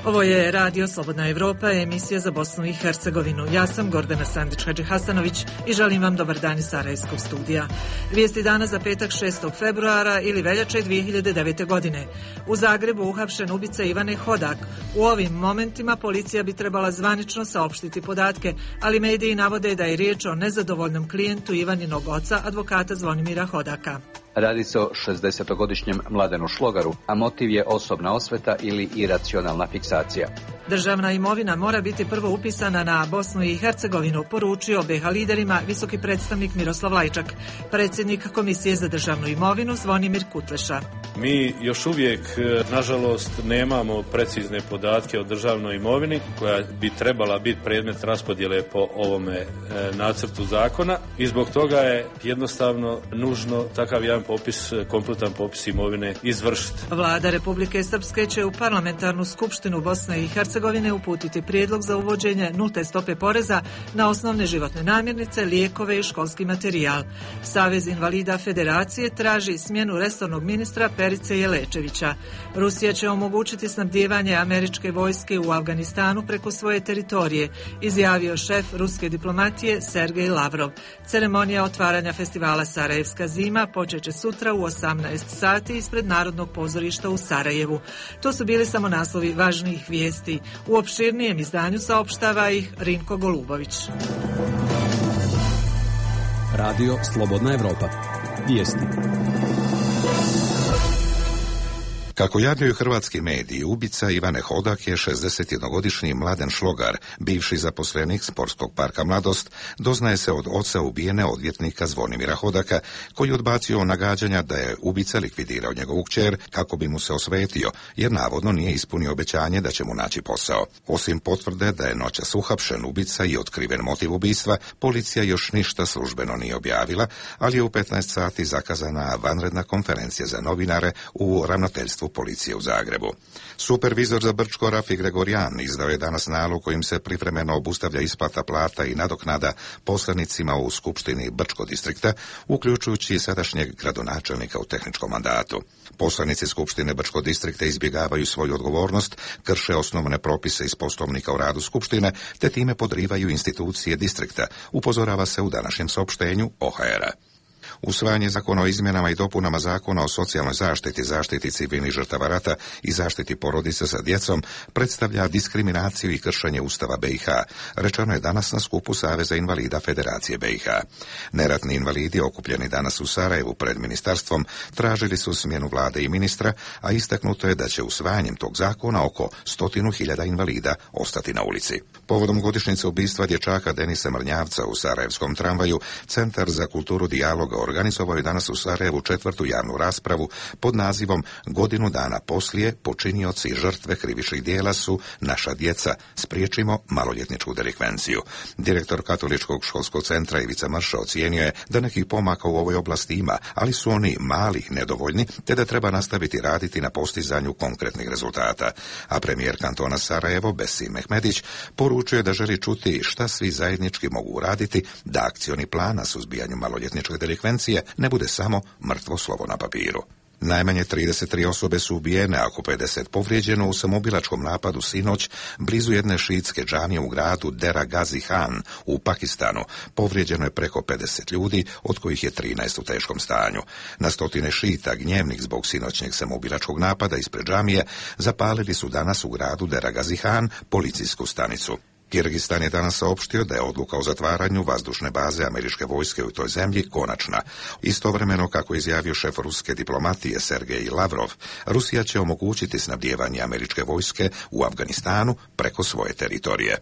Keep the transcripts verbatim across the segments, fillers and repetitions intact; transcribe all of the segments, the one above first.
Ovo je Radio Slobodna Evropa, emisija za Bosnu i Hercegovinu. Ja sam Gordana Sandić-Hadžihasanović i želim vam dobar dan iz Sarajevskog studija. Vijesti dana za petak šestog februara ili veljače dvije hiljade devete. godine. U Zagrebu uhapšen ubica Ivane Hodak. U ovim momentima policija bi trebala zvanično saopštiti podatke, ali mediji navode da je riječ o nezadovoljnom klijentu Ivaninog oca, advokata Zvonimira Hodaka. Radi se o šezdesetogodišnjem Mladenu Šlogaru, a motiv je osobna osveta ili iracionalna fiksacija. Državna imovina mora biti prvo upisana na Bosnu i Hercegovinu, poručio be ha liderima visoki predstavnik Miroslav Lajčak. Predsjednik Komisije za državnu imovinu Zvonimir Kutleša. Mi još uvijek, nažalost, nemamo precizne podatke o državnoj imovini koja bi trebala biti predmet raspodjele po ovome e, nacrtu zakona i zbog toga je jednostavno nužno takav jedan popis, kompletan popis imovine izvršiti. Vlada Republike Srpske će u parlamentarnu skupštinu Bosne i Hercegovine uputiti prijedlog za uvođenje nulte stope poreza na osnovne životne namirnice, lijekove i školski materijal. Savez invalida Federacije traži smjenu resornog ministra Perice Jelečevića. Rusija će omogućiti snabdijevanje američke vojske u Afganistanu preko svoje teritorije, izjavio šef ruske diplomatije Sergej Lavrov. Ceremonija otvaranja festivala Sarajevska zima počeće sutra u osamnaest sati ispred Narodnog pozorišta u Sarajevu. To su bili samo naslovi važnijih vijesti. U opširnijem izdanju saopštava ih Rinko Golubović. Radio Slobodna Evropa. Vijesti. Kako javljaju hrvatski mediji, ubica Ivane Hodak je šezdesetjednogodišnji Mladen Šlogar, bivši zaposlenik Sportskog parka Mladost, doznaje se od oca ubijene odvjetnika Zvonimira Hodaka, koji odbacio nagađanja da je ubica likvidirao njegovu kćer kako bi mu se osvetio, jer navodno nije ispunio obećanje da će mu naći posao. Osim potvrde da je noćas uhapšen ubica i otkriven motiv ubistva, policija još ništa službeno nije objavila, ali je u petnaest sati zakazana vanredna konferencija za novinare u ravnateljstvu policije u Zagrebu. Supervizor za Brčko Rafi Gregorijan izdao je danas nalog kojim se privremeno obustavlja isplata plata i nadoknada poslanicima u Skupštini Brčko distrikta, uključujući i sadašnjeg gradonačelnika u tehničkom mandatu. Poslanici Skupštine Brčko distrikta izbjegavaju svoju odgovornost, krše osnovne propise iz Poslovnika o radu Skupštine, te time podrivaju institucije distrikta, upozorava se u današnjem saopštenju O H R-a. Usvajanje zakona o izmjenama i dopunama zakona o socijalnoj zaštiti, zaštiti civilnih žrtava rata i zaštiti porodice sa djecom predstavlja diskriminaciju i kršenje Ustava be i ha, rečeno je danas na skupu Saveza invalida Federacije be i ha. Neratni invalidi okupljeni danas u Sarajevu pred ministarstvom tražili su smjenu vlade i ministra, a istaknuto je da će usvajanjem tog zakona oko stotinu hiljada invalida ostati na ulici. Povodom godišnjice ubistva dječaka Denisa Mrnjavca u sarajevskom tramvaju, Centar za kulturu dijaloga organizovao je danas u Sarajevu četvrtu javnu raspravu pod nazivom Godinu dana poslije počinioci i žrtve krivičnih djela su naša djeca, spriječimo maloljetničku delikvenciju. Direktor Katoličkog školskog centra Ivica Mrša ocijenio je da nekih pomaka u ovoj oblasti ima, ali su oni mali, nedovoljni, te da treba nastaviti raditi na postizanju konkretnih rezultata. A premijer kantona Sarajevo Besim Mehmedić poručuje da želi čuti šta svi zajednički mogu uraditi da akcioni plan na suzbijanju maloljetničke delikvencije ne bude samo mrtvo slovo na papiru. Najmanje trideset tri osobe su ubijene, a oko pedeset povrijeđeno u samoubilačkom napadu sinoć blizu jedne šiitske džamije u gradu Dera Gazi Khan u Pakistanu. Povrijeđeno je preko pedeset ljudi, od kojih je trinaest u teškom stanju. Na stotine šiita gnjevnih zbog sinoćnjeg samoubilačkog napada ispred džamije zapalili su danas u gradu Dera Gazi Khan policijsku stanicu. Kirgistan je danas saopštio da je odluka o zatvaranju vazdušne baze američke vojske u toj zemlji konačna. Istovremeno, kako je izjavio šef ruske diplomatije Sergej Lavrov, Rusija će omogućiti snabdijevanje američke vojske u Afganistanu preko svoje teritorije.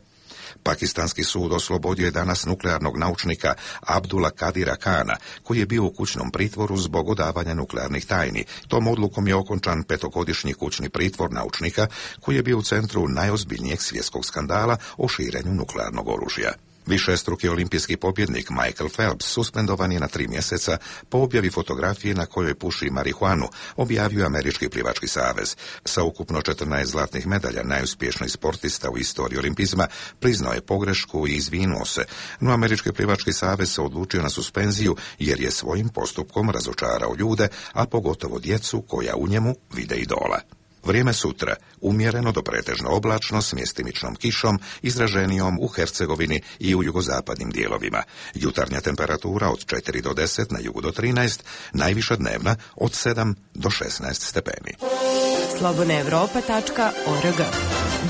Pakistanski sud oslobodio je danas nuklearnog naučnika Abdula Kadira Kana, koji je bio u kućnom pritvoru zbog odavanja nuklearnih tajni. Tom odlukom je okončan petogodišnji kućni pritvor naučnika, koji je bio u centru najozbiljnijeg svjetskog skandala o širenju nuklearnog oružja. Višestruki olimpijski pobjednik Michael Phelps suspendovan je na tri mjeseca po objavi fotografije na kojoj puši marihuanu, objavio Američki plivački savez. Sa ukupno četrnaest zlatnih medalja najuspješniji sportista u istoriji olimpizma priznao je pogrešku i izvinuo se, no Američki plivački savez se odlučio na suspenziju jer je svojim postupkom razočarao ljude, a pogotovo djecu koja u njemu vide idola. Vrijeme sutra, umjereno do pretežno oblačno s mjestimičnom kišom, izraženijom u Hercegovini i u jugozapadnim dijelovima. Jutarnja temperatura od četiri do deset, na jugu do trinaest, najviša dnevna od sedam do šesnaest stepeni. slobodna europa tačka org.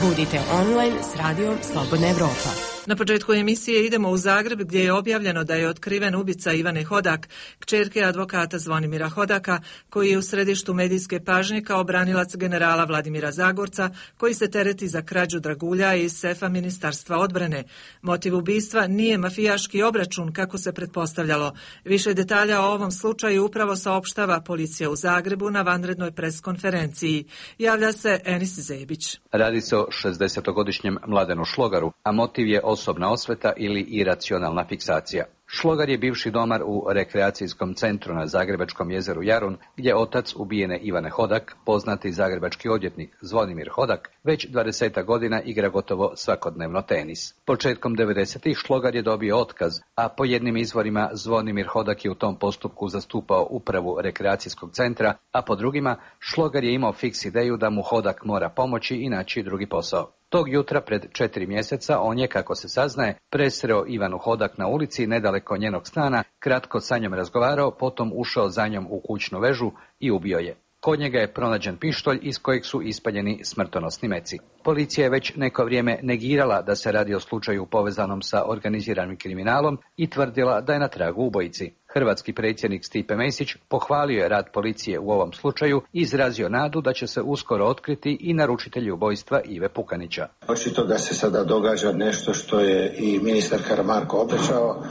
Budite online s radijom Slobodna Evropa. Na početku emisije idemo u Zagreb gdje je objavljeno da je otkriven ubica Ivane Hodak, kćerke advokata Zvonimira Hodaka, koji je u središtu medijske pažnje kao branilac generala Vladimira Zagorca, koji se tereti za krađu dragulja iz sefa Ministarstva odbrane. Motiv ubistva nije mafijaški obračun, kako se pretpostavljalo. Više detalja o ovom slučaju upravo saopštava policija u Zagrebu na vanrednoj preskonferenciji. Javlja se Enis Zebić. Radi se o šezdesetogodišnjem Mladenu Šlogaru, a motiv je osobna osveta ili iracionalna fiksacija. Šlogar je bivši domar u rekreacijskom centru na zagrebačkom jezeru Jarun, gdje otac ubijene Ivane Hodak, poznati zagrebački odvjetnik Zvonimir Hodak, već dvadeset godina igra gotovo svakodnevno tenis. Početkom devedesetih Šlogar je dobio otkaz, a po jednim izvorima Zvonimir Hodak je u tom postupku zastupao upravu rekreacijskog centra, a po drugima Šlogar je imao fiks ideju da mu Hodak mora pomoći i naći drugi posao. Tog jutra pred četiri mjeseca on je, kako se saznaje, presreo Ivanu Hodak na ulici nedaleko njenog stana, kratko sa njom razgovarao, potom ušao za njom u kućnu vežu i ubio je. Kod njega je pronađen pištolj iz kojeg su ispaljeni smrtonosni meci. Policija je već neko vrijeme negirala da se radi o slučaju povezanom sa organiziranim kriminalom i tvrdila da je na tragu ubojici. Hrvatski predsjednik Stipe Mesić pohvalio je rad policije u ovom slučaju i izrazio nadu da će se uskoro otkriti i naručitelji ubojstva Ive Pukanića. Očito da se sada događa nešto što je i ministar Karamarko obećao,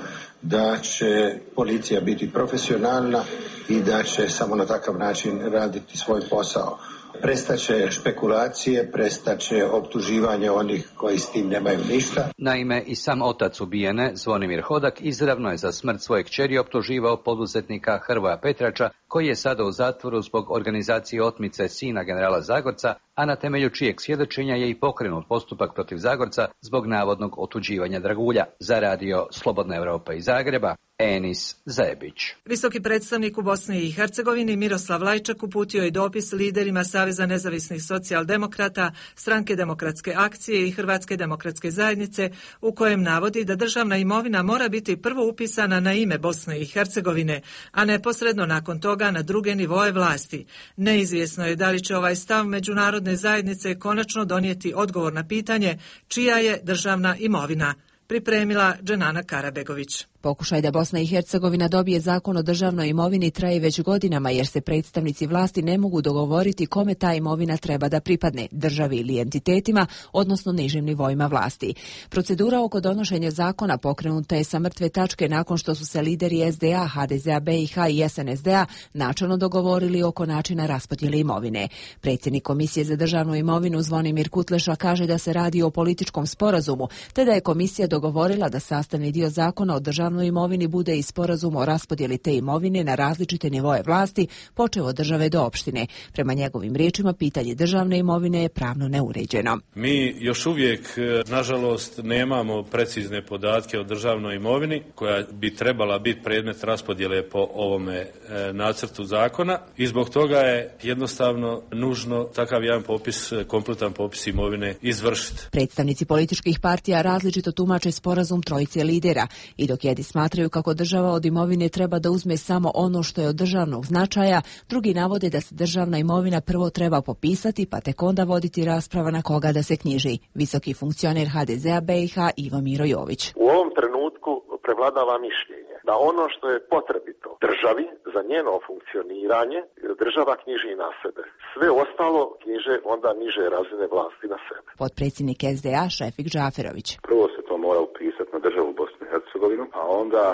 da će policija biti profesionalna i da će samo na takav način raditi svoj posao. Prestaće špekulacije, prestaće optuživanje onih koji s tim nemaju ništa. Naime, i sam otac ubijene, Zvonimir Hodak, izravno je za smrt svoje kćeri optuživao poduzetnika Hrvoja Petrača, koji je sada u zatvoru zbog organizacije otmice sina generala Zagorca, a na temelju čijeg svjedočenja je i pokrenut postupak protiv Zagorca zbog navodnog otuđivanja dragulja. Za radio Slobodna Europa iz Zagreba, Enis Zebić. Visoki predstavnik u Bosni i Hercegovini Miroslav Lajčak uputio je dopis liderima Saveza nezavisnih socijaldemokrata, Stranke demokratske akcije i Hrvatske demokratske zajednice, u kojem navodi da državna imovina mora biti prvo upisana na ime Bosne i Hercegovine, a neposredno nakon toga na druge nivoe vlasti. Neizvjesno je da li će ovaj stav međunarodne zajednice konačno donijeti odgovor na pitanje čija je državna imovina. Pripremila Dženana Karabegović. Pokušaj da Bosna i Hercegovina dobije zakon o državnoj imovini traje već godinama, jer se predstavnici vlasti ne mogu dogovoriti kome ta imovina treba da pripadne, državi ili entitetima, odnosno nižim nivoima vlasti. Procedura oko donošenja zakona pokrenuta je sa mrtve tačke nakon što su se lideri es de a, ha de ze a be i ha i es en es de a načelno dogovorili oko načina raspodjele imovine. Predsjednik Komisije za državnu imovinu Zvonimir Kutleša kaže da se radi o političkom sporazumu, te da je komisija dogovorila da sastavni dio zakona o državnoj imovini bude i sporazum o raspodjeli te imovine na različite nivoe vlasti, počev od države do opštine. Prema njegovim riječima, pitanje državne imovine je pravno neuređeno. Mi još uvijek, nažalost, nemamo precizne podatke o državnoj imovini koja bi trebala biti predmet raspodjele po ovome e, nacrtu zakona i zbog toga je jednostavno nužno takav jedan popis, kompletan popis imovine izvršiti. Predstavnici političkih partija različito tumače sporazum trojice lidera i dok jedni smatraju kako država od imovine treba da uzme samo ono što je od državnog značaja, drugi navode da se državna imovina prvo treba popisati, pa tek onda voditi rasprava na koga da se knjiži. Visoki funkcioner ha de ze a be i ha Ivo Miro Jović. U ovom trenutku prevladava mišljenje da ono što je potrebito državi za njeno funkcioniranje, država knjiži na sebe. Sve ostalo knjiže onda niže razine vlasti na sebe. Potpredsjednik es de a Šefik Džaferović. Prvo se to mora upisati na državu Bosnu i Hercegovinu, a onda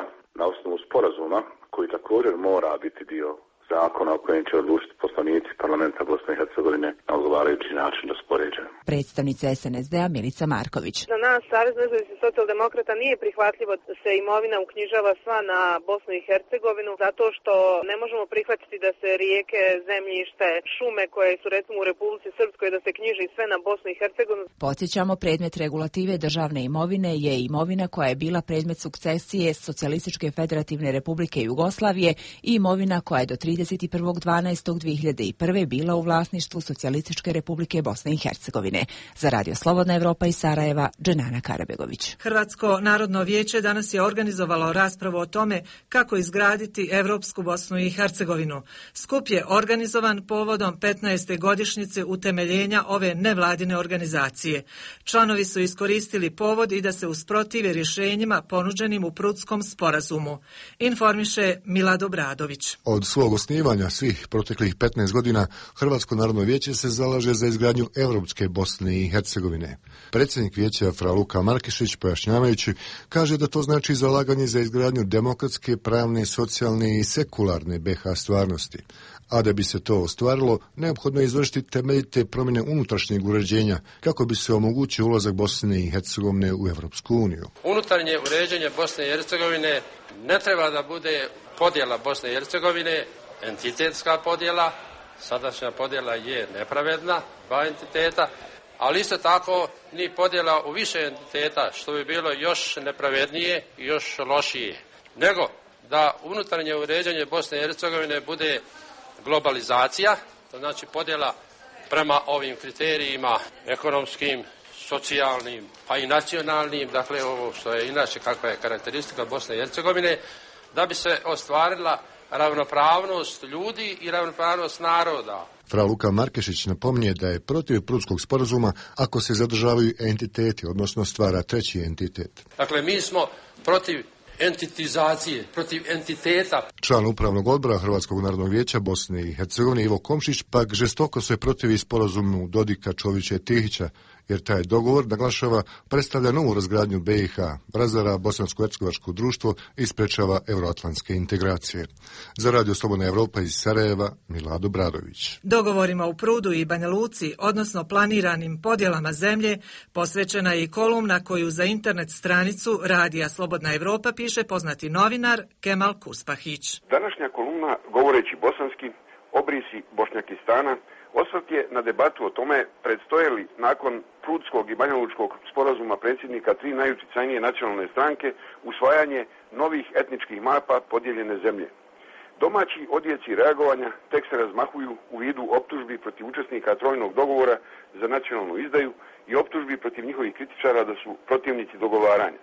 na osnovu sporazuma koji također mora biti dio zakona o kojem će odlučiti poslanici parlamenta Bosne i Hercegovine na odgovarajući način raspoređen. Predstavnica es en es de a Milica Marković. Za nas, Savez nezavisnih socijaldemokrata, nije prihvatljivo da se imovina uknjižava sva na Bosnu i Hercegovinu, zato što ne možemo prihvatiti da se rijeke, zemljište, šume koje su recimo u Republici Srpskoj da se knjiži sve na Bosnu i Hercegovinu. Podsjećamo, predmet regulative državne imovine je imovina koja je bila predmet sukcesije Socijalističke federativne republike Jugoslavije i imovina koja je do trideset trideset prvog dvanaestog dve hiljade prve. bila u vlasništvu Socijalističke Republike Bosne i Hercegovine. Za Radio Slobodna Evropa iz Sarajeva, Dženana Karabegović. Hrvatsko narodno vijeće danas je organizovalo raspravu o tome kako izgraditi Evropsku Bosnu i Hercegovinu. Skup je organizovan povodom petnaeste godišnjice utemeljenja ove nevladine organizacije. Članovi su iskoristili povod i da se usprotive rješenjima ponuđenim u Prutskom sporazumu. Informiše Milad Obradović. Od svog osnivanja svih proteklih petnaest godina Hrvatsko narodno vijeće se zalaže za izgradnju Europske Bosne i Hercegovine. Predsjednik vijeća Fra Luka Markešić, pojašnjavajući, kaže da to znači zalaganje za izgradnju demokratske, pravne, socijalne i sekularne be ha stvarnosti. A da bi se to ostvarilo, neophodno je izvršiti temeljite promjene unutrašnjeg uređenja kako bi se omogućio ulazak Bosne i Hercegovine u Evropsku uniju. Unutarnje uređenje Bosne i Hercegovine ne treba da bude podjela Bosne i Hercegovine, entitetska podjela. Sadašnja podjela je nepravedna, dva entiteta, ali isto tako ni podjela u više entiteta, što bi bilo još nepravednije i još lošije. Nego da unutarnje uređenje Bosne i Hercegovine bude globalizacija, to znači podjela prema ovim kriterijima ekonomskim, socijalnim, pa i nacionalnim, dakle ovo što je inače kakva je karakteristika Bosne i Hercegovine, da bi se ostvarila ravnopravnost ljudi i ravnopravnost naroda. Fra Luka Markešić napominje da je protiv Prutskog sporazuma ako se zadržavaju entiteti, odnosno stvara treći entitet. Dakle, mi smo protiv entitizacije, protiv entiteta. Član upravnog odbora Hrvatskog narodnog vijeća Bosne i Hercegovine Ivo Komšić pak žestoko se protivi sporazumu Dodika, Čovića i Tihića, jer taj dogovor, naglašava, predstavlja novu razgradnju be i ha, razara bosansko-hercegovačko društvo i sprečava euroatlantske integracije. Za Radio Slobodna Evropa iz Sarajeva, Milad Obradović. Dogovorima u Prudu i Banja Luci, odnosno planiranim podjelama zemlje, posvećena je i kolumna koju za internet stranicu Radija Slobodna Evropa piše poznati novinar Kemal Kuspahić. Današnja kolumna, govoreći bosanski, obrisi Bošnjakistana, osvrt je na debatu o tome predstoje li nakon Prudskog i Banjalučkog sporazuma predsjednika tri najuticajnije nacionalne stranke usvajanje novih etničkih mapa podijeljene zemlje. Domaći odjeci reagovanja tek se razmahuju u vidu optužbi protiv učesnika trojnog dogovora za nacionalnu izdaju i optužbi protiv njihovih kritičara da su protivnici dogovaranja.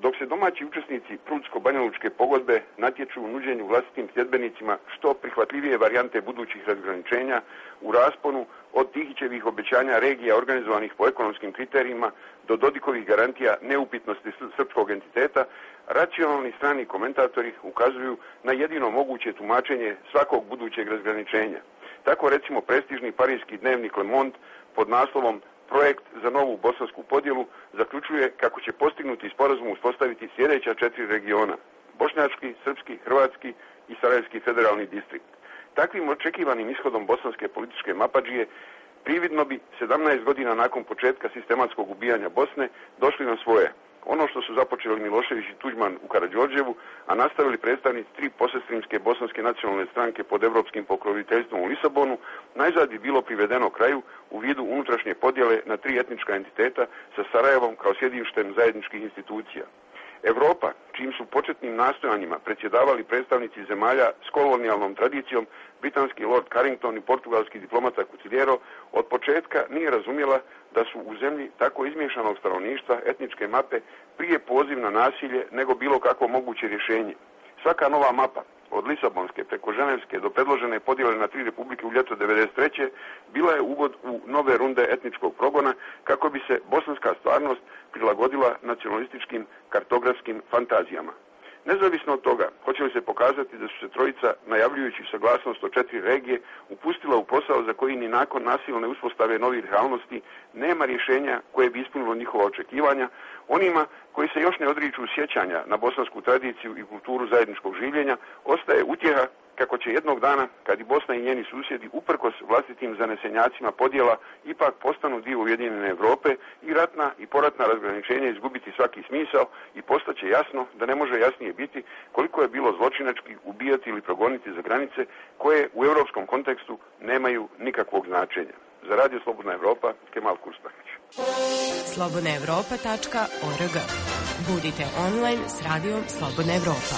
Dok se domaći učesnici Prudsko-Banjalučke pogodbe natječu u nuđenju vlastitim sljedbenicima što prihvatljivije varijante budućih razgraničenja u rasponu od Tihićevih obećanja regija organizovanih po ekonomskim kriterijima do Dodikovih garantija neupitnosti srpskog entiteta, racionalni strani komentatori ukazuju na jedino moguće tumačenje svakog budućeg razgraničenja. Tako recimo prestižni parijski dnevnik Le Monde pod naslovom Projekt za novu bosansku podjelu zaključuje kako će postignuti sporazum uspostaviti sljedeća četiri regiona: bošnjački, srpski, hrvatski i sarajevski federalni distrikt. Takvim očekivanim ishodom bosanske političke mapadžije prividno bi sedamnaest godina nakon početka sistematskog ubijanja Bosne došli na svoje. Ono što su započeli Milošević i Tuđman u Karađorđevu, a nastavili predstavnici tri posestrimske bosanske nacionalne stranke pod evropskim pokroviteljstvom u Lisabonu, najzad bi bilo privedeno kraju u vidu unutrašnje podjele na tri etnička entiteta sa Sarajevom kao sjedištem zajedničkih institucija. Evropa, čijim su početnim nastojanjima predsjedavali predstavnici zemalja s kolonijalnom tradicijom, britanski Lord Carrington i portugalski diplomata Cuciliero, od početka nije razumjela da su u zemlji tako izmiješanog stanovništva etničke mape prije poziv na nasilje nego bilo kakvo moguće rješenje. Svaka nova mapa, od Lisabonske preko Ženevske do predložene podjele na tri republike u ljeto devedeset treće bila je uvod u nove runde etničkog progona kako bi se bosanska stvarnost prilagodila nacionalističkim kartografskim fantazijama. Nezavisno od toga, hoće li se pokazati da su se trojica, najavljujući saglasnost o četiri regije, upustila u posao za koji ni nakon nasilne uspostave novih realnosti nema rješenja koje bi ispunilo njihova očekivanja, onima koji se još ne odriču sjećanja na bosansku tradiciju i kulturu zajedničkog življenja, ostaje utjeha kako će jednog dana, kad i Bosna i njeni susjedi uprkos vlastitim zanesenjacima podjela ipak postanu dio Ujedinjene Europe i ratna i poratna razgraničenja izgubiti svaki smisao i postaće jasno da ne može jasnije biti koliko je bilo zločinački ubijati ili progoniti za granice koje u europskom kontekstu nemaju nikakvog značenja. Za Radio Slobodna Evropa, Kemal Kuspahić. slobodna evropa tačka org. Budite online s Radijom Slobodna Evropa.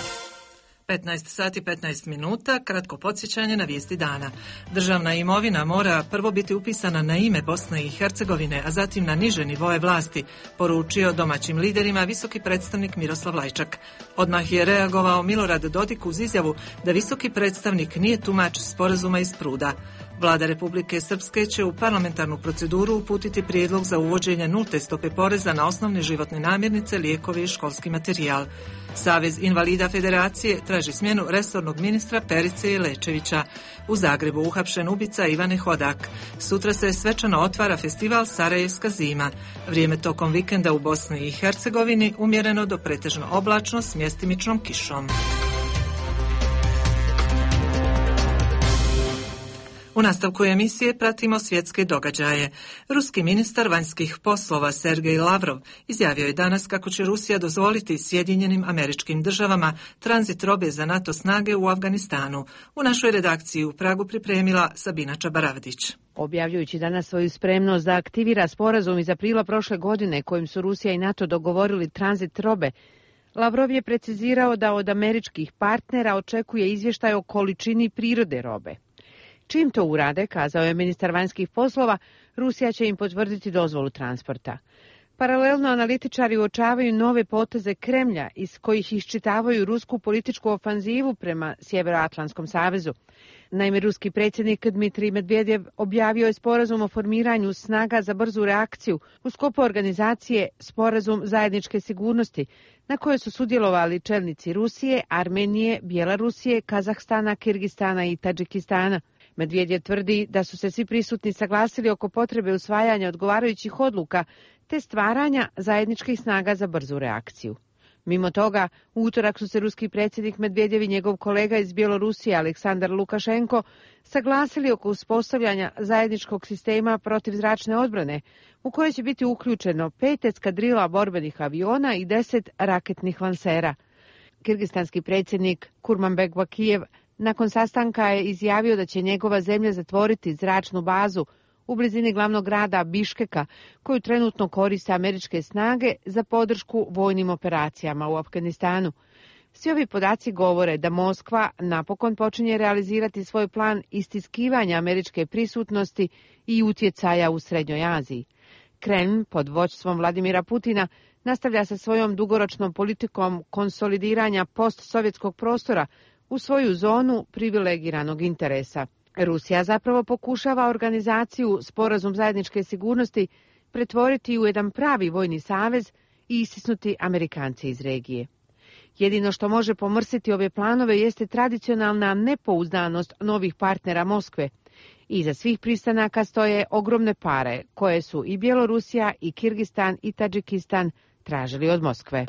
petnaest sati petnaest minuta, kratko podsjećanje na vijesti dana. Državna imovina mora prvo biti upisana na ime Bosne i Hercegovine, a zatim na niže nivoe vlasti, poručio domaćim liderima visoki predstavnik Miroslav Lajčak. Odmah je reagovao Milorad Dodik uz izjavu da visoki predstavnik nije tumač sporazuma iz Pruda. Vlada Republike Srpske će u parlamentarnu proceduru uputiti prijedlog za uvođenje nulte stope poreza na osnovne životne namirnice, lijekove i školski materijal. Savez invalida Federacije traži smjenu resornog ministra Perice Lečevića. U Zagrebu uhapšen ubica Ivane Hodak. Sutra se svečano otvara festival Sarajevska zima. Vrijeme tokom vikenda u Bosni i Hercegovini umjereno do pretežno oblačno s mjestimičnom kišom. U nastavku emisije pratimo svjetske događaje. Ruski ministar vanjskih poslova Sergej Lavrov izjavio je danas kako će Rusija dozvoliti Sjedinjenim Američkim Državama tranzit robe za NATO snage u Afganistanu. U našoj redakciji u Pragu pripremila Sabina Čabaravdić. Objavljujući danas svoju spremnost da aktivira sporazum iz aprila prošle godine kojim su Rusija i NATO dogovorili tranzit robe, Lavrov je precizirao da od američkih partnera očekuje izvještaj o količini prirode robe. Čim to urade, kazao je ministar vanjskih poslova, Rusija će im potvrditi dozvolu transporta. Paralelno analitičari uočavaju nove poteze Kremlja iz kojih iščitavaju rusku političku ofanzivu prema Sjevernoatlantskom savezu. Naime, ruski predsjednik Dmitrij Medvedev objavio je sporazum o formiranju snaga za brzu reakciju u sklopu organizacije Sporazum zajedničke sigurnosti, na kojoj su sudjelovali čelnici Rusije, Armenije, Bjelorusije, Kazahstana, Kirgistana i Tadžikistana. Medvedev tvrdi da su se svi prisutni saglasili oko potrebe usvajanja odgovarajućih odluka te stvaranja zajedničkih snaga za brzu reakciju. Mimo toga, u utorak su se ruski predsjednik Medvedev i njegov kolega iz Bjelorusije Aleksandar Lukašenko saglasili oko uspostavljanja zajedničkog sistema protivzračne odbrane, u kojoj će biti uključeno pet eskadrila borbenih aviona i deset raketnih lansera. Kirgistanski predsjednik Kurmanbek Bakijev nakon sastanka je izjavio da će njegova zemlja zatvoriti zračnu bazu u blizini glavnog grada Biškeka, koju trenutno koriste američke snage za podršku vojnim operacijama u Afganistanu. Svi ovi podaci govore da Moskva napokon počinje realizirati svoj plan istiskivanja američke prisutnosti i utjecaja u Srednjoj Aziji. Kremlj pod vođstvom Vladimira Putina nastavlja sa svojom dugoročnom politikom konsolidiranja postsovjetskog prostora u svoju zonu privilegiranog interesa. Rusija zapravo pokušava organizaciju Sporazum zajedničke sigurnosti pretvoriti u jedan pravi vojni savez i istisnuti Amerikance iz regije. Jedino što može pomrsiti ove planove jeste tradicionalna nepouzdanost novih partnera Moskve. Iza svih pristanaka stoje ogromne pare koje su i Bjelorusija i Kirgistan i Tadžikistan tražili od Moskve.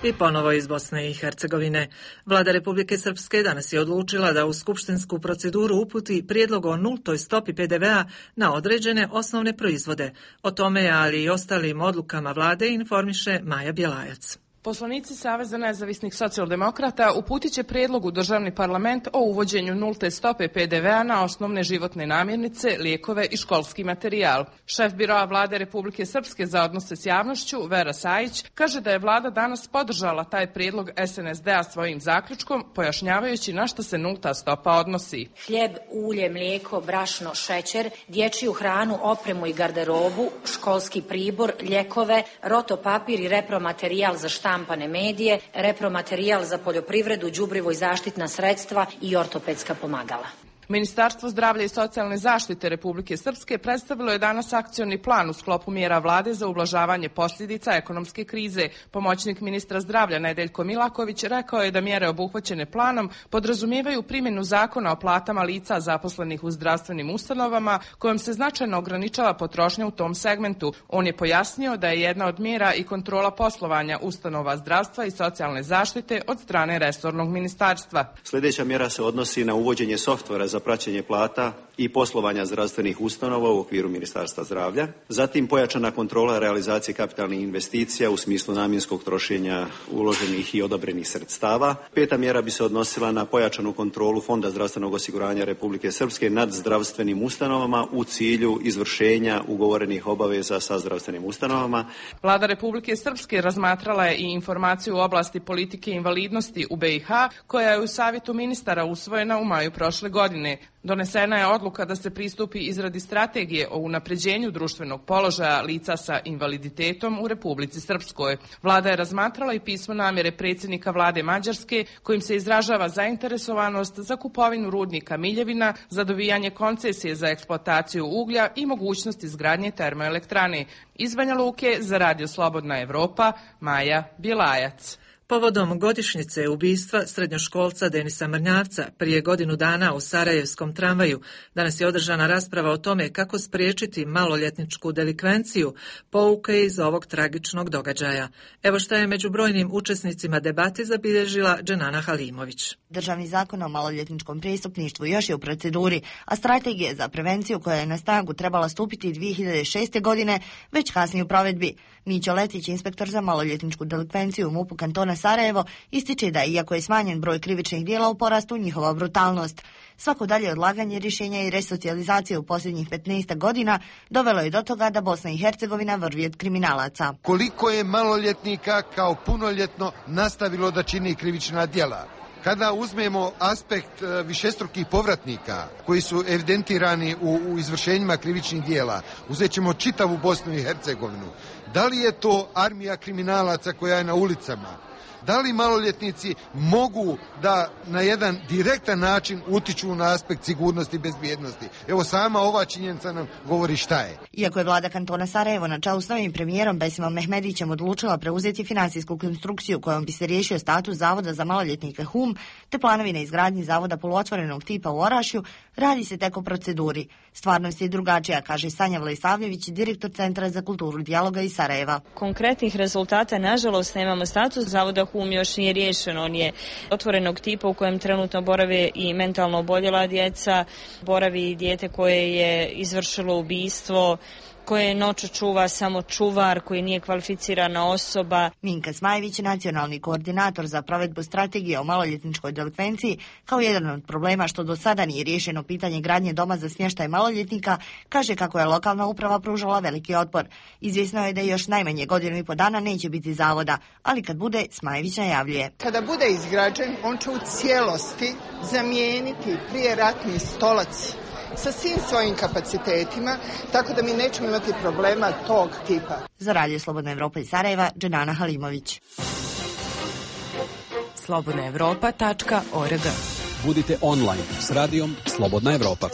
I ponovo iz Bosne i Hercegovine. Vlada Republike Srpske danas je odlučila da u skupštinsku proceduru uputi prijedlog o nultoj stopi pe de ve a na određene osnovne proizvode. O tome, ali i ostalim odlukama vlade, informiše Maja Bjelajac. Poslanici Saveza nezavisnih socijaldemokrata uputit će prijedlog u državni parlament o uvođenju nulte stope pe de ve a na osnovne životne namirnice, lijekove i školski materijal. Šef biroa Vlade Republike Srpske za odnose s javnošću, Vera Sajić, kaže da je vlada danas podržala taj prijedlog es en es de a svojim zaključkom, pojašnjavajući na što se nulta stopa odnosi. Hljeb, ulje, mlijeko, brašno, šećer, dječju hranu, opremu i garderobu, školski pribor, ljekove, rotopapir i repromaterijal za štampu, štampane medije, repromaterijal za poljoprivredu, đubrivo i zaštitna sredstva i ortopedska pomagala. Ministarstvo zdravlja i socijalne zaštite Republike Srpske predstavilo je danas akcioni plan u sklopu mjera vlade za ublažavanje posljedica ekonomske krize. Pomoćnik ministra zdravlja Nedeljko Milaković rekao je da mjere obuhvaćene planom podrazumijevaju primjenu zakona o platama lica zaposlenih u zdravstvenim ustanovama, kojom se značajno ograničava potrošnja u tom segmentu. On je pojasnio da je jedna od mjera i kontrola poslovanja ustanova zdravstva i socijalne zaštite od strane resornog ministarstva. Sljedeća mjera se odnosi na uvođenje softvera za za praćenje plata i poslovanja zdravstvenih ustanova u okviru Ministarstva zdravlja. Zatim pojačana kontrola realizacije kapitalnih investicija u smislu namjenskog trošenja uloženih i odobrenih sredstava. Peta mjera bi se odnosila na pojačanu kontrolu Fonda zdravstvenog osiguranja Republike Srpske nad zdravstvenim ustanovama u cilju izvršenja ugovorenih obaveza sa zdravstvenim ustanovama. Vlada Republike Srpske razmatrala je i informaciju u oblasti politike invalidnosti u B i H, koja je u Savjetu ministara usvojena u maju prošle godine. Donesena je odluka da se pristupi izradi strategije o unapređenju društvenog položaja lica sa invaliditetom u Republici Srpskoj. Vlada je razmatrala i pismo namjere predsjednika vlade Mađarske, kojim se izražava zainteresovanost za kupovinu rudnika Miljevina, za dobijanje koncesije za eksploataciju uglja i mogućnost izgradnje termoelektrane. Iz Banja Luke za Radio Slobodna Evropa, Maja Bjelajac. Povodom godišnjice ubistva srednjoškolca Denisa Mrnjavca prije godinu dana u Sarajevskom tramvaju, danas je održana rasprava o tome kako spriječiti maloljetničku delikvenciju, pouke iz ovog tragičnog događaja. Evo šta je među brojnim učesnicima debati zabilježila Dženana Halimović. Državni zakon o maloljetničkom prijestupništvu još je u proceduri, a strategija za prevenciju koja je na snagu trebala stupiti dvije hiljade šeste. godine već kasnije u provedbi. Mićo Letić, inspektor za maloljetničku delikvenciju u MUP-u kantona Sarajevo, ističe da iako je smanjen broj krivičnih djela u porastu njihova brutalnost. Svako dalje odlaganje rješenja i resocijalizacije u posljednjih petnaest godina dovelo je do toga da Bosna i Hercegovina vrvi od kriminalaca. Koliko je maloljetnika kao punoljetno nastavilo da čini krivična djela? Kada uzmemo aspekt višestrukih povratnika koji su evidentirani u, u izvršenjima krivičnih djela, uzet ćemo čitavu Bosnu i Hercegovinu. Da li je to armija kriminalaca koja je na ulicama? Da li maloljetnici mogu da na jedan direktan način utiču na aspekt sigurnosti i bezbjednosti? Evo sama ova činjenica nam govori šta je. Iako je vlada kantona Sarajevo na čelu s novim premijerom Besimom Mehmedićem odlučila preuzeti finansijsku konstrukciju kojom bi se riješio status Zavoda za maloljetnike Hum, te planovi na izgradnji zavoda poluotvorenog tipa u Orašju, radi se tek o proceduri. Stvarnost je drugačija, kaže Sanja Vlajsavljević, direktor Centra za kulturu dijaloga iz Sarajeva. Konkretnih rezultata, nažalost, nemamo. Status Zavoda Hum još nije riješen. On je otvorenog tipa u kojem trenutno borave i mentalno oboljela djeca, boravi dijete koje je izvršilo ubistvo, koje noću čuva samo čuvar, koji nije kvalificirana osoba. Minka Smajević, nacionalni koordinator za provedbu strategije o maloljetničkoj delikvenciji, kao jedan od problema što do sada nije riješeno pitanje gradnje doma za smještaj maloljetnika, kaže kako je lokalna uprava pružala veliki otpor. Izvjesno je da još najmanje godinu i po dana neće biti zavoda, ali kad bude, Smajević najavljuje. Kada bude izgrađen, on će u cijelosti zamijeniti prijeratni stolac sa svim svojim kapacitetima, tako da mi nećemo imati problema tog tipa. Za Radio Slobodna Evropa iz Sarajeva, Dženana Halimović. slobodna evropa tačka org. Budite online s radijom Slobodna Evropa.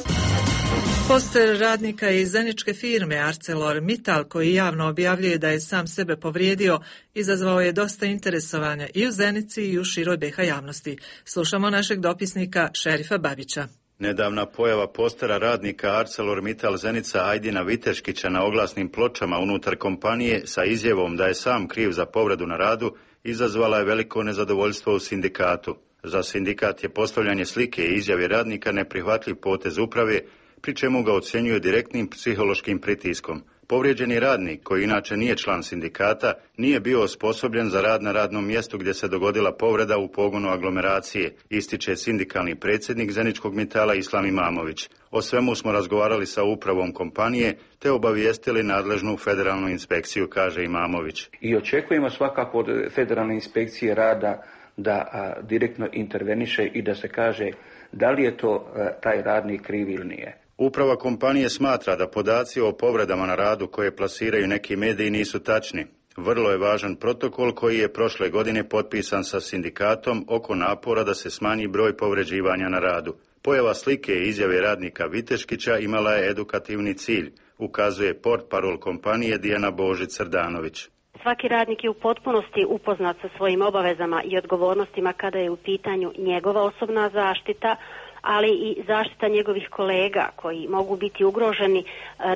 Poster radnika iz zeničke firme ArcelorMittal, koji javno objavljuje da je sam sebe povrijedio, izazvao je dosta interesovanja i u Zenici i u široj B iH javnosti. Slušamo našeg dopisnika Šerifa Babića. Nedavna pojava postera radnika ArcelorMittal Zenica Ajdina Viteškića na oglasnim pločama unutar kompanije sa izjavom da je sam kriv za povredu na radu izazvala je veliko nezadovoljstvo u sindikatu. Za sindikat je postavljanje slike i izjave radnika neprihvatljiv potez uprave, pri čemu ga ocjenjuje direktnim psihološkim pritiskom. Povrijeđeni radnik, koji inače nije član sindikata, nije bio osposobljen za rad na radnom mjestu gdje se dogodila povreda u pogonu aglomeracije, ističe sindikalni predsjednik Zeničkog Mitala Islam Imamović. O svemu smo razgovarali sa upravom kompanije te obavijestili nadležnu federalnu inspekciju, kaže Imamović. I očekujemo svakako od federalne inspekcije rada da a, direktno interveniše i da se kaže da li je to a, taj radnik kriv ili nije. Uprava kompanije smatra da podaci o povredama na radu koje plasiraju neki mediji nisu tačni. Vrlo je važan protokol koji je prošle godine potpisan sa sindikatom oko napora da se smanji broj povređivanja na radu. Pojava slike i izjave radnika Viteškića imala je edukativni cilj, ukazuje portparol kompanije Dijana Božić-Srdanović. Svaki radnik je u potpunosti upoznat sa svojim obavezama i odgovornostima kada je u pitanju njegova osobna zaštita, ali i zaštita njegovih kolega koji mogu biti ugroženi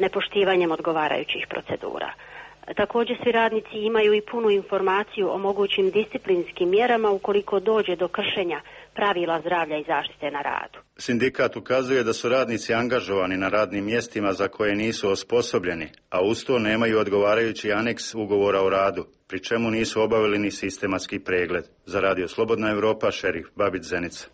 nepoštivanjem odgovarajućih procedura. Također svi radnici imaju i punu informaciju o mogućim disciplinskim mjerama ukoliko dođe do kršenja pravila zdravlja i zaštite na radu. Sindikat ukazuje da su radnici angažovani na radnim mjestima za koje nisu osposobljeni, a uz to nemaju odgovarajući aneks ugovora o radu, pri čemu nisu obavili ni sistematski pregled. Za Radio Slobodna Evropa, Šerif Babić, Zenica.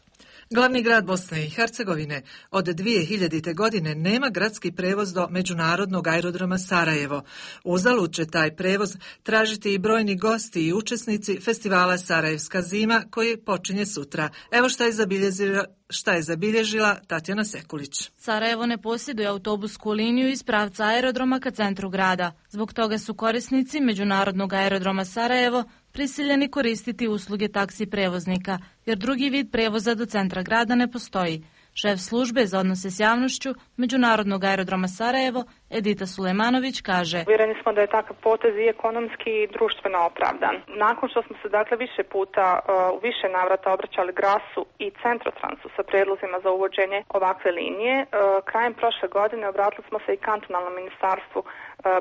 Glavni grad Bosne i Hercegovine od dvije hiljadite. godine nema gradski prevoz do međunarodnog aerodroma Sarajevo. Uzalud će taj prevoz tražiti i brojni gosti i učesnici festivala Sarajevska zima koji počinje sutra. Evo šta je zabilježila, šta je zabilježila Tatjana Sekulić. Sarajevo ne posjeduje autobusku liniju iz pravca aerodroma ka centru grada. Zbog toga su korisnici međunarodnog aerodroma Sarajevo prisiljeni koristiti usluge taksi prevoznika, jer drugi vid prevoza do centra grada ne postoji. Šef službe za odnose s javnošću Međunarodnog aerodroma Sarajevo, Edita Sulejmanović, kaže: Uvjereni smo da je takav potez i ekonomski i društveno opravdan. Nakon što smo se dakle više puta u uh, više navrata obraćali Grasu i Centrotransu sa prijedlozima za uvođenje ovakve linije, uh, krajem prošle godine obratili smo se i kantonalnom ministarstvu uh,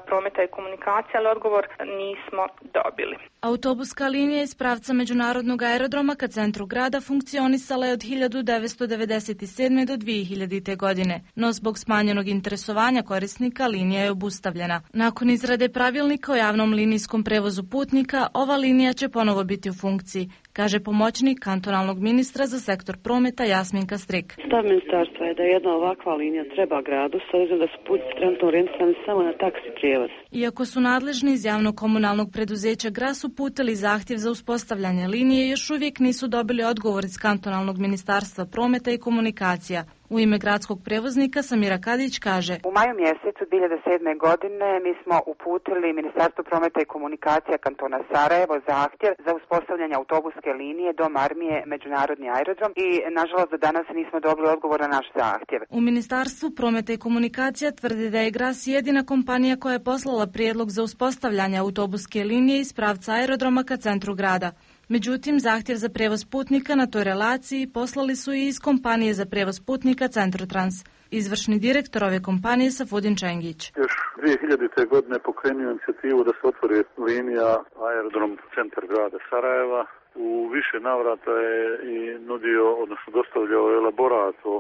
prometa i komunikacije, ali odgovor nismo dobili. Autobuska linija iz pravca Međunarodnog aerodroma ka centru grada funkcionisala je od hiljadu devetsto devedeset sedme. do dvije hiljadite. godine, no zbog smanjenog interesovanja korisnika linija je obustavljena. Nakon izrade pravilnika o javnom linijskom prevozu putnika, ova linija će ponovo biti u funkciji, kaže pomoćnik kantonalnog ministra za sektor prometa Jasminka Strik. Stav ministarstva je da jedna ovakva linija treba gradu, s obzirom da su putnici trenutno orijentirani samo na taksi prijevoz. Iako su nadležni iz javnog komunalnog preduzeća Gras uputili zahtjev za uspostavljanje linije, još uvijek nisu dobili odgovor iz kantonalnog ministarstva prometa i komunikacija. U ime gradskog prevoznika Samira Kadić kaže: U maju mjesecu dvije hiljade sedme. godine mi smo uputili Ministarstvu prometa i komunikacija kantona Sarajevo zahtjev za uspostavljanje autobuske linije do Marmije Međunarodni aerodrom i nažalost do danas nismo dobili odgovor na naš zahtjev. U Ministarstvu prometa i komunikacija tvrdi da je Gras jedina kompanija koja je poslala prijedlog za uspostavljanje autobuske linije iz pravca aerodroma ka centru grada. Međutim, zahtjev za prevoz putnika na toj relaciji poslali su i iz kompanije za prevoz putnika Centrotrans. Izvršni direktor ove kompanije Safudin Čengić. Još dvije hiljadite. godine pokrenuo inicijativu da se otvori linija aerodrom centar grada Sarajeva. U više navrata je i nudio, odnosno dostavljao elaborat o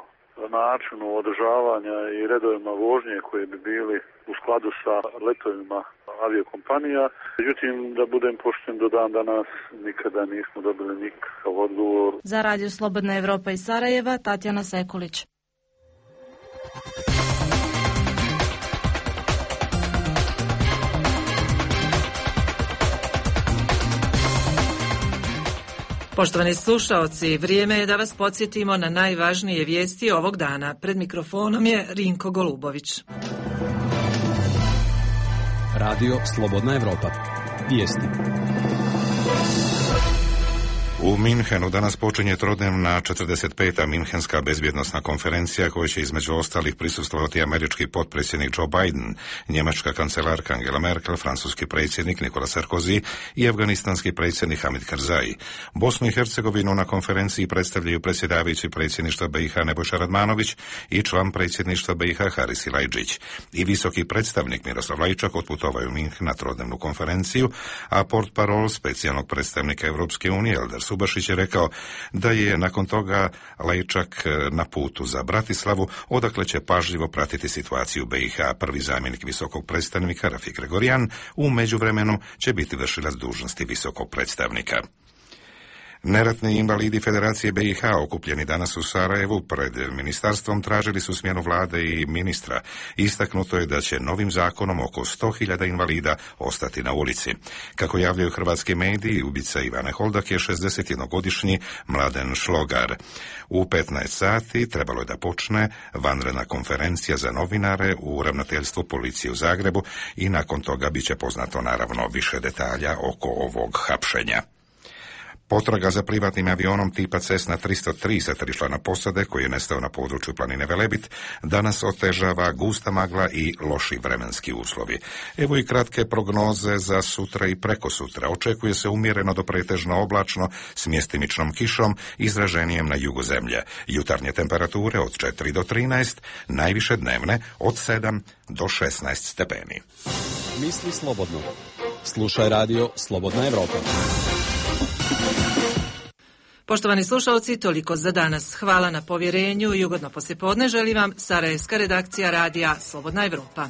načinu održavanja i redovima vožnje koje bi bili u skladu sa letovima aviokompanija. Međutim, da budem pošten, do dan danas nikada nismo dobili nikakav odgovor. Za Radio Slobodna Evropa iz Sarajeva, Tatjana Sekulić. Poštovani slušaoci, vrijeme je da vas podsjetimo na najvažnije vijesti ovog dana. Pred mikrofonom je Rinko Golubović. Radio Slobodna Evropa. Vijesti. U Minhenu danas počinje trodnevna četrdeset peta Minhenska bezbjednosna konferencija koja će između ostalih prisustvovati američki potpredsjednik Joe Biden, njemačka kancelarka Angela Merkel, francuski predsjednik Nikola Sarkozy i afganistanski predsjednik Hamid Karzai. Bosnu i Hercegovinu na konferenciji predstavljaju predsjedavajući predsjedništva B i H Nebojša Radmanović i član predsjedništva B i H Haris Silajdžić. I visoki predstavnik Miroslav Lajčak otputovao u Minhen na trodnevnu konferenciju, a portparol specijalnog predstavnika Europske unije Eldar Subašić je rekao da je nakon toga Lajčak na putu za Bratislavu, odakle će pažljivo pratiti situaciju u B i H. Prvi zamjenik visokog predstavnika Rafik Gregorian u međuvremenu će biti vršilac dužnosti visokog predstavnika. Neratni invalidi Federacije B i H okupljeni danas u Sarajevu pred ministarstvom tražili su smjenu vlade i ministra. Istaknuto je da će novim zakonom oko sto hiljada invalida ostati na ulici. Kako javljaju hrvatski mediji, ubica Ivane Holdak je šezdesetjednogodišnji Mladen Šlogar. U petnaest sati trebalo je da počne vanredna konferencija za novinare u ravnateljstvu policije u Zagrebu i nakon toga bit će poznato naravno više detalja oko ovog hapšenja. Potraga za privatnim avionom tipa Cessna tristo tri sa tri člana posade koji je nestao na području planine Velebit danas otežava gusta magla i loši vremenski uslovi. Evo i kratke prognoze za sutra i prekosutra. Očekuje se umjereno do pretežno oblačno s mjestimičnom kišom izraženijem na jugu zemlje. Jutarnje temperature od četiri do trinaest, najviše dnevne od sedam do šesnaest stepeni. Misli slobodno. Slušaj radio Slobodna Evropa. Poštovani slušalci, toliko za danas. Hvala na povjerenju i ugodno poslijepodne želim vam Sarajevska redakcija radija Slobodna Evropa.